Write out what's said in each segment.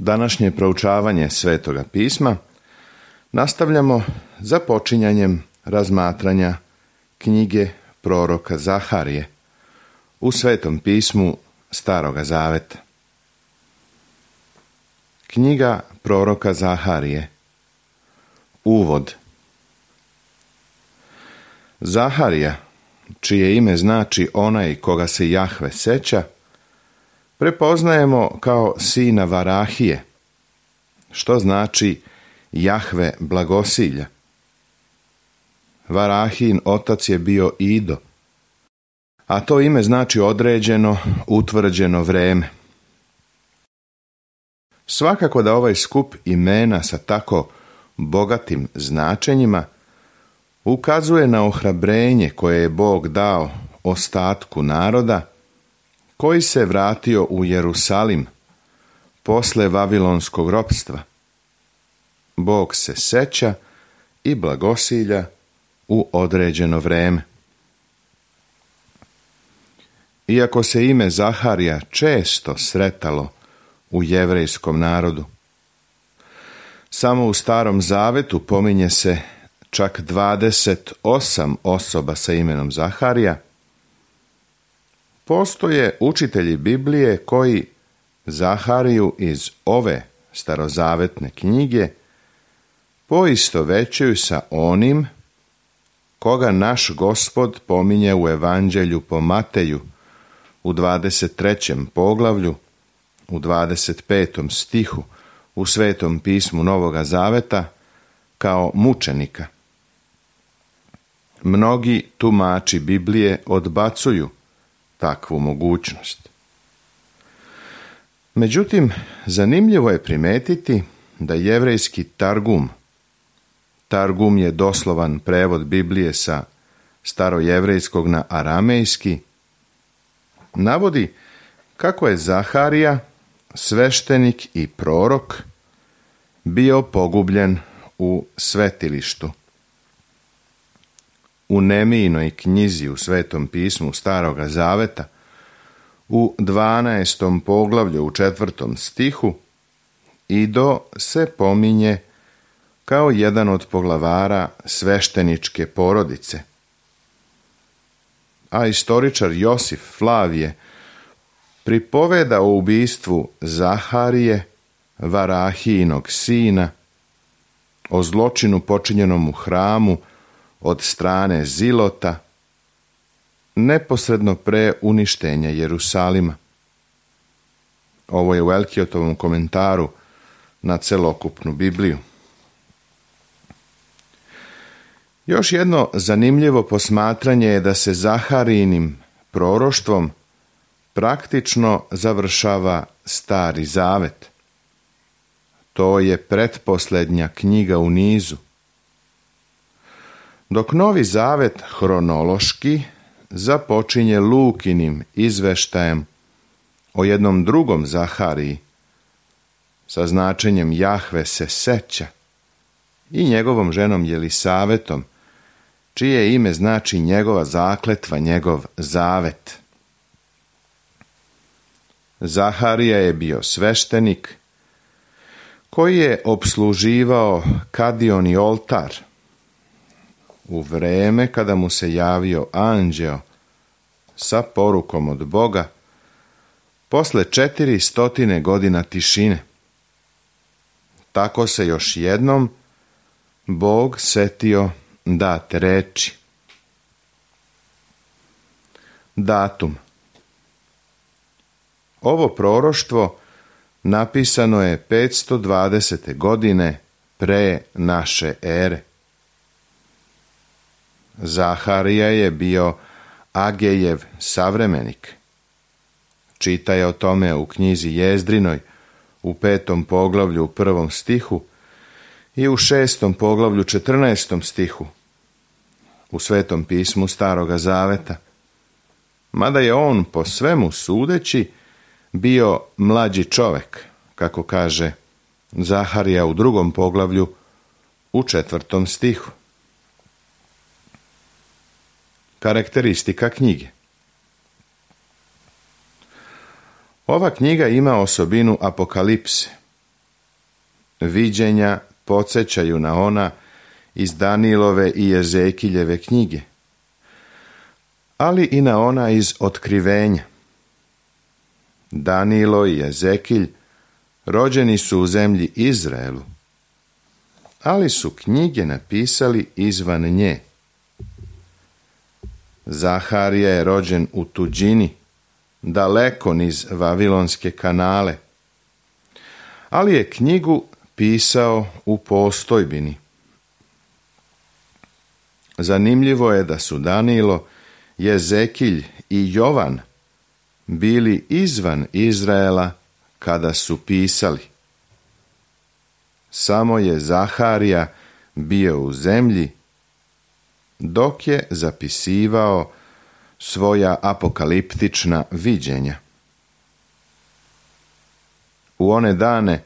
Današnje proučavanje Svetoga pisma nastavljamo započinjanjem razmatranja knjige proroka Zaharije u Svetom pismu Staroga zaveta. Knjiga proroka Zaharije. Uvod. Zaharija, čije ime znači onaj koga se Jahve seća, prepoznajemo kao sina Varahije, što znači Jahve blagosilja. Varahijin otac je bio Ido, a to ime znači određeno, utvrđeno vreme. Svakako da ovaj skup imena sa tako bogatim značenjima ukazuje na ohrabrenje koje je Bog dao ostatku naroda koji se vratio u Jerusalim posle vavilonskog ropstva. Bog se seća i blagosilja u određeno vreme. Iako se ime Zaharija često sretalo u jevrejskom narodu, samo u Starom zavetu pominje se čak 28 osoba sa imenom Zaharija, postoje učitelji Biblije koji Zahariju iz ove starozavetne knjige poistovećuju sa onim koga naš Gospod pominje u Evanđelju po Mateju u 23. poglavlju, u 25. stihu u Svetom pismu Novoga zaveta kao mučenika. Mnogi tumači Biblije odbacuju takvu mogućnost. Međutim, zanimljivo je primetiti da jevrejski Targum je doslovan prevod Biblije sa starojevrejskog na aramejski, navodi kako je Zaharija, sveštenik i prorok, bio pogubljen u svetilištu. U Nemijinoj knjizi u Svetom pismu Staroga zaveta, u 12. poglavlju u 4. stihu, Ido se pominje kao jedan od poglavara svešteničke porodice. A istoričar Josif Flavije pripoveda o ubistvu Zaharije, Varahijinog sina, o zločinu počinjenom u hramu od strane Zilota, neposredno pre uništenja Jerusalima. Ovo je u Elkiotovom komentaru na celokupnu Bibliju. Još jedno zanimljivo posmatranje je da se Zaharijinim proroštvom praktično završava Stari zavet. To je pretposljednja knjiga u nizu. Dok Novi zavet hronološki započinje Lukinim izveštajem o jednom drugom Zahariji sa značenjem Jahve se seća i njegovom ženom Jelisavetom, čije ime znači njegova zakletva, njegov zavet. Zaharija je bio sveštenik koji je opsluživao kadioni oltar u vreme kada mu se javio anđeo sa porukom od Boga posle 400 godina tišine. Tako se još jednom Bog setio date reči. Datum. Ovo proroštvo napisano je 520. godine pre naše ere. Zaharija je bio Agejev savremenik. Čitaje o tome u knjizi Jezdrinoj u 5. poglavlju u 1. stihu i u 6. poglavlju 14. stihu u Svetom pismu Staroga zaveta. Mada je on po svemu sudeći bio mlađi čovek, kako kaže Zaharija u 2. poglavlju u 4. stihu. Karakteristika knjige. Ova knjiga ima osobinu apokalipse, Viđenja podsjećaju na ona iz Danilove i Ezekiljeve knjige, ali i na ona iz Otkrivenja. Danilo i Ezekilj rođeni su u zemlji Izraelu, ali su knjige napisali izvan nje. Zaharija je rođen u tuđini, daleko niz Vavilonske kanale, ali je knjigu pisao u postojbini. Zanimljivo je da su Danilo, Ezekilj i Jovan bili izvan Izraela kada su pisali. Samo je Zaharija bio u zemlji dok je zapisivao svoja apokaliptična viđenja. U one dane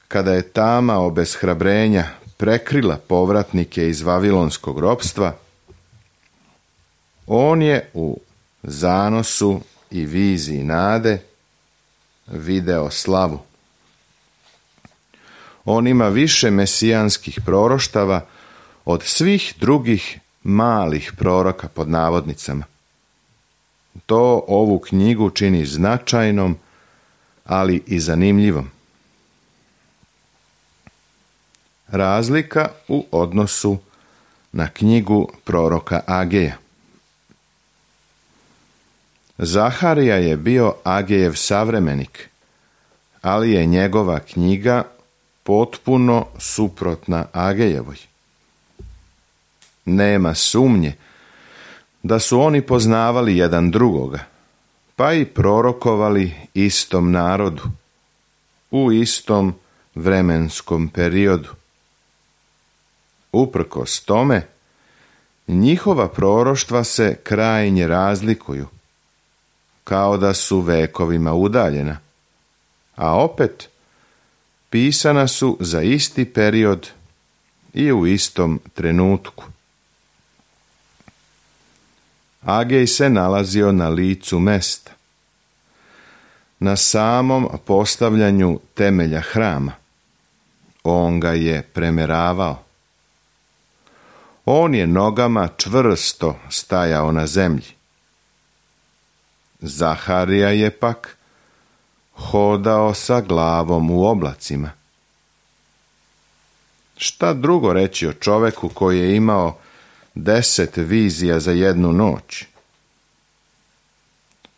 kada je tama obeshrabrenja prekrila povratnike iz vavilonskog ropstva, on je u zanosu i viziji nade video slavu. On ima više mesijanskih proroštava od svih drugih malih proroka pod navodnicama. To ovu knjigu čini značajnom, ali i zanimljivom. Razlika u odnosu na knjigu proroka Ageja. Zaharija je bio Agejev savremenik, ali je njegova knjiga potpuno suprotna Agejevoj. Nema sumnje da su oni poznavali jedan drugoga, pa i prorokovali istom narodu, u istom vremenskom periodu. Uprkos tome, njihova proroštva se krajnje razlikuju, kao da su vekovima udaljena, a opet pisana su za isti period i u istom trenutku. Agej se nalazio na licu mesta, na samom postavljanju temelja hrama. On ga je premeravao. On je nogama čvrsto stajao na zemlji. Zaharija je pak hodao sa glavom u oblacima. Šta drugo reći o čoveku koji je imao 10 vizija za jednu noć?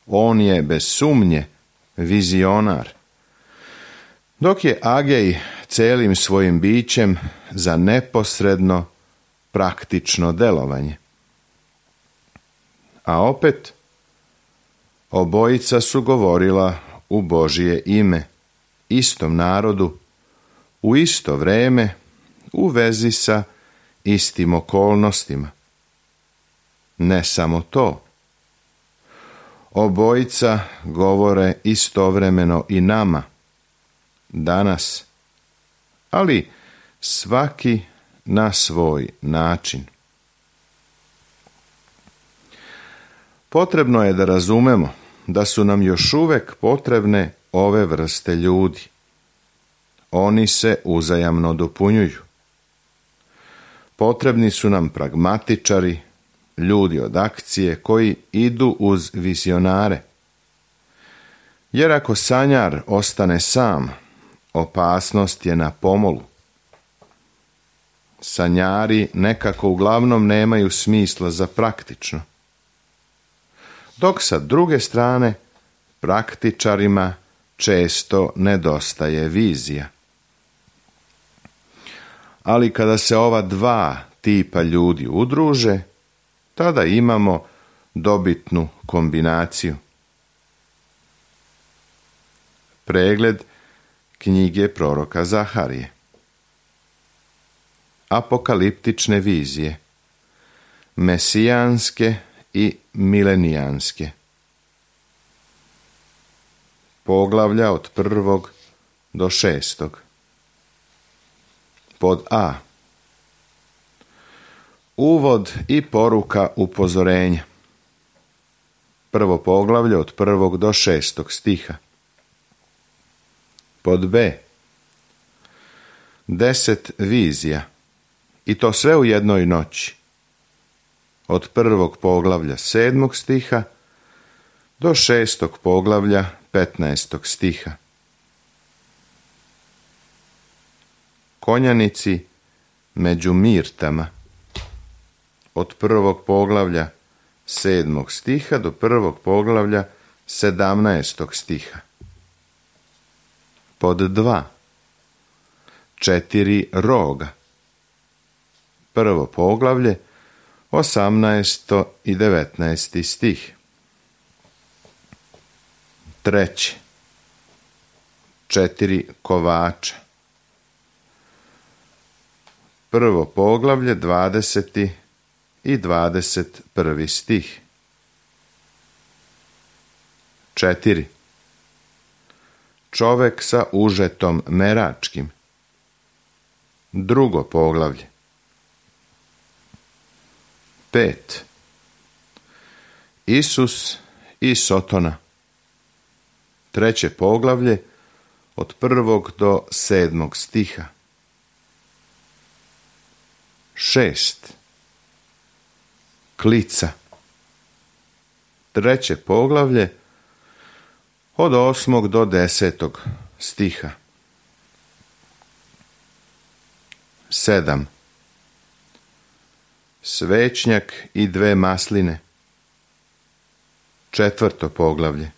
On je bez sumnje vizionar, dok je Agej celim svojim bićem za neposredno praktično delovanje. A opet, obojica su govorila u Božije ime, istom narodu, u isto vreme, u vezi sa istim okolnostima. Ne samo to. Obojica govore istovremeno i nama, danas, ali svaki na svoj način. Potrebno je da razumemo da su nam još uvek potrebne ove vrste ljudi. Oni se uzajamno dopunjuju. Potrebni su nam pragmatičari, ljudi od akcije koji idu uz vizionare. Jer ako sanjar ostane sam, opasnost je na pomolu. Sanjari nekako uglavnom nemaju smisla za praktično. Dok sa druge strane, praktičarima često nedostaje vizija. Ali kada se ova dva tipa ljudi udruže, tada imamo dobitnu kombinaciju. Pregled knjige proroka Zaharije. Apokaliptične vizije, mesijanske i milenijanske. Poglavlja od 1. do 6. Pod A. Uvod i poruka upozorenja. Prvo poglavlje od 1. do 6. stiha. Pod B. 10 vizija, i to sve u jednoj noći, od 1. poglavlja 7. stiha do 6. poglavlja 15. stiha. Konjanici među mirtama, od 1. poglavlja 7. stiha do 1. poglavlja 17. stiha. Pod 2. 4 roga, 1. poglavlje 18. i 19. stih. 3. 4 kovača, 1. poglavlje 20. i 21. stih. 4. Čovek sa užetom meračkim, 2. poglavlje. 5. Isus i Sotona, 3. poglavlje, od 1. do 7. stiha. 6. Klica, 3. poglavlje, od 8. do 10. stiha. 7. Svećnjak i 2 masline, 4. poglavlje.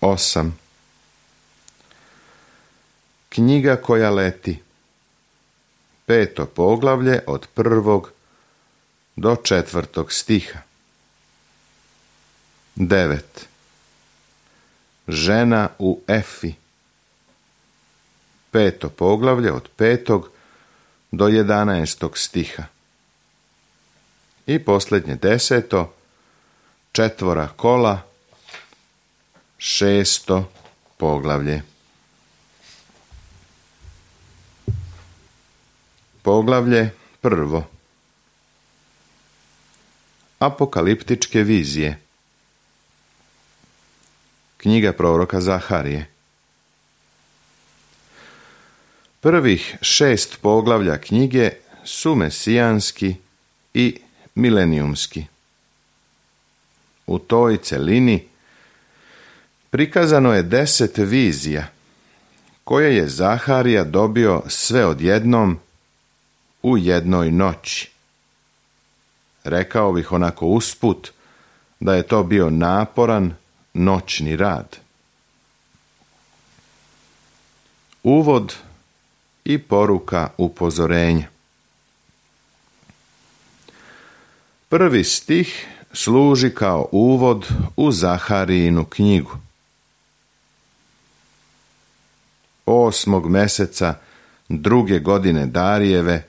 8. Knjiga koja leti, 5. poglavlje, od 1. do 4. stiha. 9. Žena u Efi, 5. poglavlje, od 5. do 11. stiha. I posljednje 10. 4 kola, 6. poglavlje. Poglavlje 1. Apokaliptičke vizije. Knjiga proroka Zaharije. Prvih 6 poglavlja knjige su mesijanski i milenijumski. U toj celini prikazano je 10 vizija, koje je Zaharija dobio sve odjednom u jednoj noći. Rekao bih onako usput da je to bio naporan noćni rad. Uvod i poruka upozorenja. 1. stih služi kao uvod u Zaharijinu knjigu. 8. meseca 2. godine Darijeve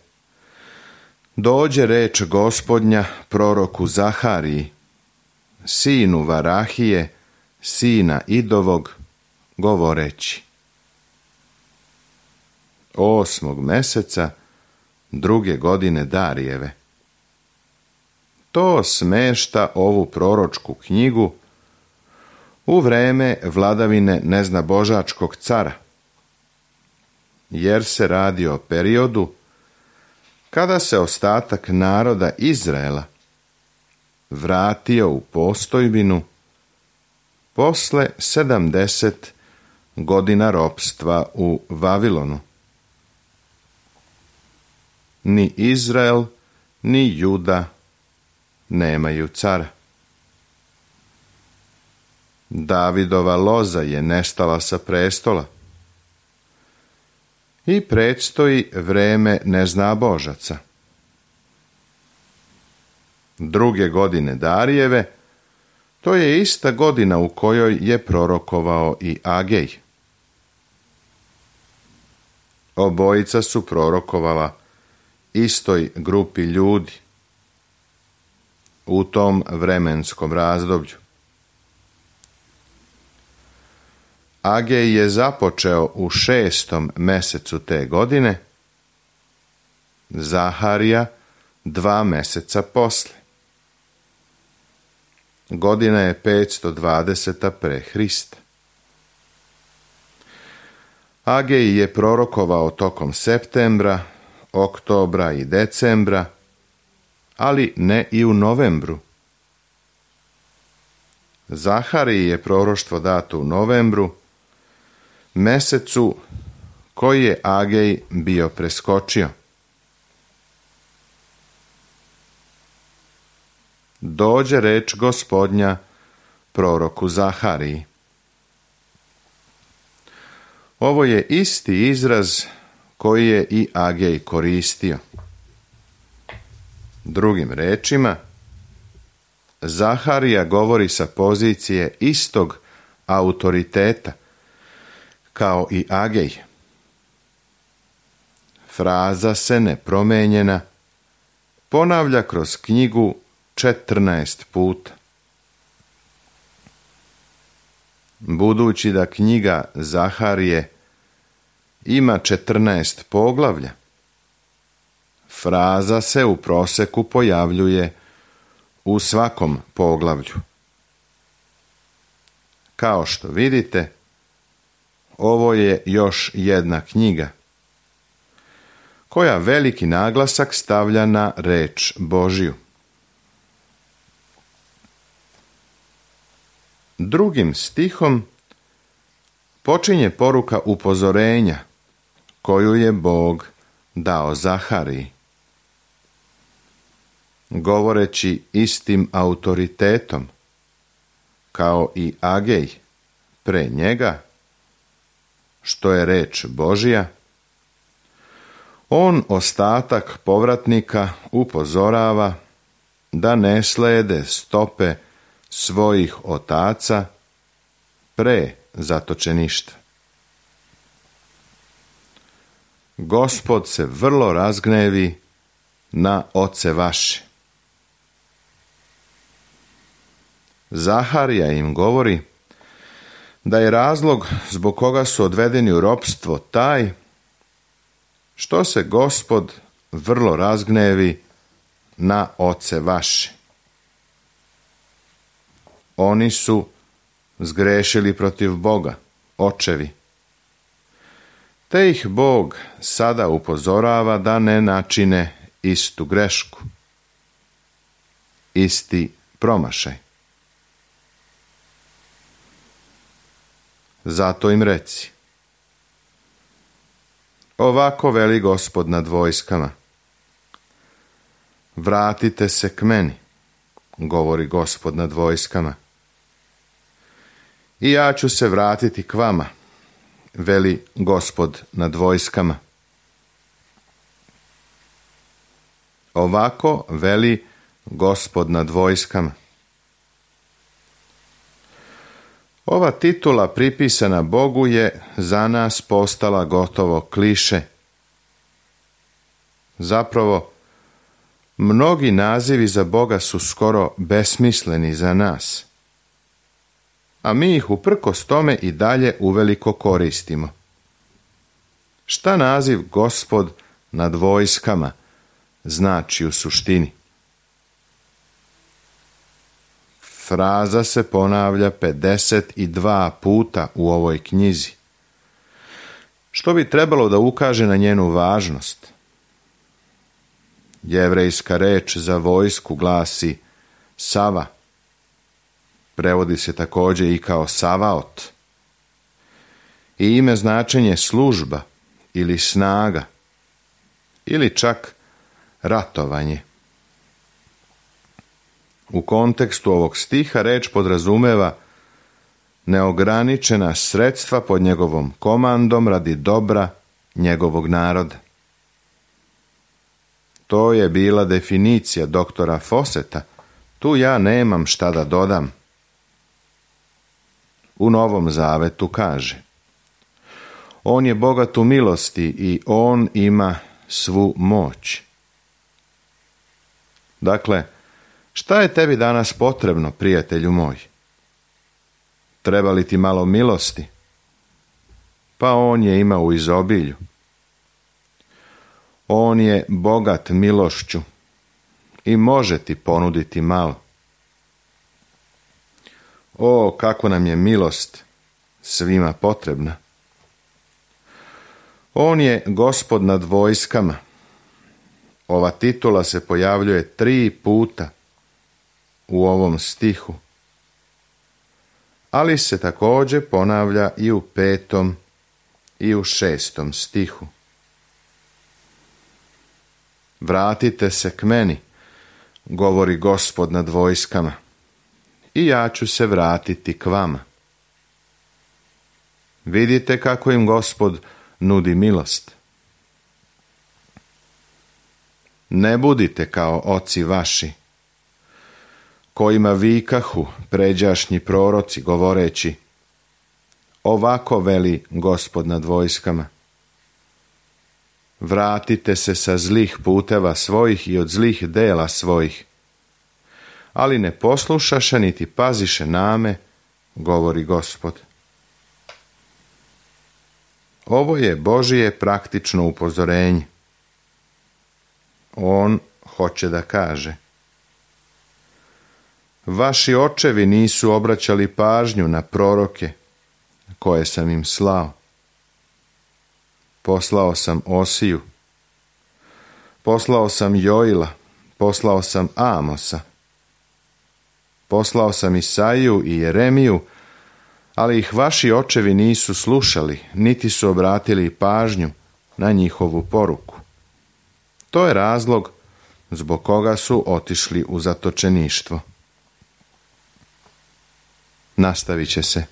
dođe reč Gospodnja proroku Zahariji, sinu Varahije, sina Idovog, govoreći. 8. meseca 2. godine Darijeve. To smešta ovu proročku knjigu u vreme vladavine neznabožačkog cara, jer se radi o periodu kada se ostatak naroda Izraela vratio u postojbinu posle 70 godina ropstva u Vavilonu. Ni Izrael, ni Juda nemaju cara. Davidova loza je nestala sa prestola i predstoji vreme neznabožaca. 2. godine Darijeve, to je ista godina u kojoj je prorokovao i Agej. Obojica su prorokovala istoj grupi ljudi u tom vremenskom razdoblju. Agej je započeo u 6. mesecu te godine, Zaharija 2 meseca posle. Godina je 520. pre Hrista. Agej je prorokovao tokom septembra, oktobra i decembra, ali ne i u novembru. Zahariji je proroštvo dato u novembru, mesecu koji je Agej bio preskočio. Dođe reč Gospodnja proroku Zahariji. Ovo je isti izraz koji je i Agej koristio. Drugim rečima, Zaharija govori sa pozicije istog autoriteta kao i Agej. Fraza se nepromenjena ponavlja kroz knjigu 14 puta. Budući da knjiga Zaharije ima 14 poglavlja, fraza se u proseku pojavljuje u svakom poglavlju. Kao što vidite, ovo je još jedna knjiga koja veliki naglasak stavlja na reč Božju. Drugim stihom počinje poruka upozorenja koju je Bog dao Zahariji. Govoreći istim autoritetom, kao i Agej pre njega, što je reč Božja, on ostatak povratnika upozorava da ne slede stope svojih otaca pre zatočeništva. Gospod se vrlo razgnevi na oce vaše. Zaharija im govori da je razlog zbog koga su odvedeni u ropstvo taj što se Gospod vrlo razgnevi na oce vaše. Oni su zgrešili protiv Boga, očevi. Te ih Bog sada upozorava da ne načine istu grešku, isti promašaj. Zato im reci: ovako veli Gospod nad vojskama, vratite se k meni, govori Gospod nad vojskama, i ja ću se vratiti k vama, veli Gospod nad vojskama. Ovako veli Gospod nad vojskama. Ova titula pripisana Bogu je za nas postala gotovo kliše. Zapravo, mnogi nazivi za Boga su skoro besmisleni za nas, a mi ih uprkos tome i dalje uveliko koristimo. Šta naziv Gospod nad vojskama znači u suštini? Fraza se ponavlja 52 puta u ovoj knjizi, što bi trebalo da ukaže na njenu važnost. Jevrejska reč za vojsku glasi Sava. Prevodi se također i kao Savaot. I ime značenje služba ili snaga ili čak ratovanje. U kontekstu ovog stiha reč podrazumeva neograničena sredstva pod njegovom komandom radi dobra njegovog naroda. To je bila definicija doktora Fawcetta. Tu ja nemam šta da dodam. U Novom Zavetu kaže: on je bogat u milosti i on ima svu moć. Dakle, šta je tebi danas potrebno, prijatelju moj? Treba li ti malo milosti? Pa on je ima u izobilju. On je bogat milošću i može ti ponuditi malo. O, kako nam je milost svima potrebna. On je Gospod nad vojskama. Ova titula se pojavljuje 3 puta u ovom stihu, ali se također ponavlja i u 5. i u 6. stihu. Vratite se k meni, govori Gospod nad vojskama, i ja ću se vratiti k vama. Vidite kako im Gospod nudi milost. Ne budite kao oci vaši, kojima vikahu pređašnji proroci govoreći: ovako veli Gospod nad vojskama. Vratite se sa zlih puteva svojih i od zlih dela svojih. Ali ne poslušaše niti paziše name, govori Gospod. Ovo je Božije praktično upozorenje. On hoće da kaže: vaši očevi nisu obraćali pažnju na proroke koje sam im slao. Poslao sam Osiju, poslao sam Joila, poslao sam Amosa, poslao sam Isaiju i Jeremiju, ali ih vaši očevi nisu slušali, niti su obratili pažnju na njihovu poruku. To je razlog zbog koga su otišli u zatočeništvo. Nastavit će se.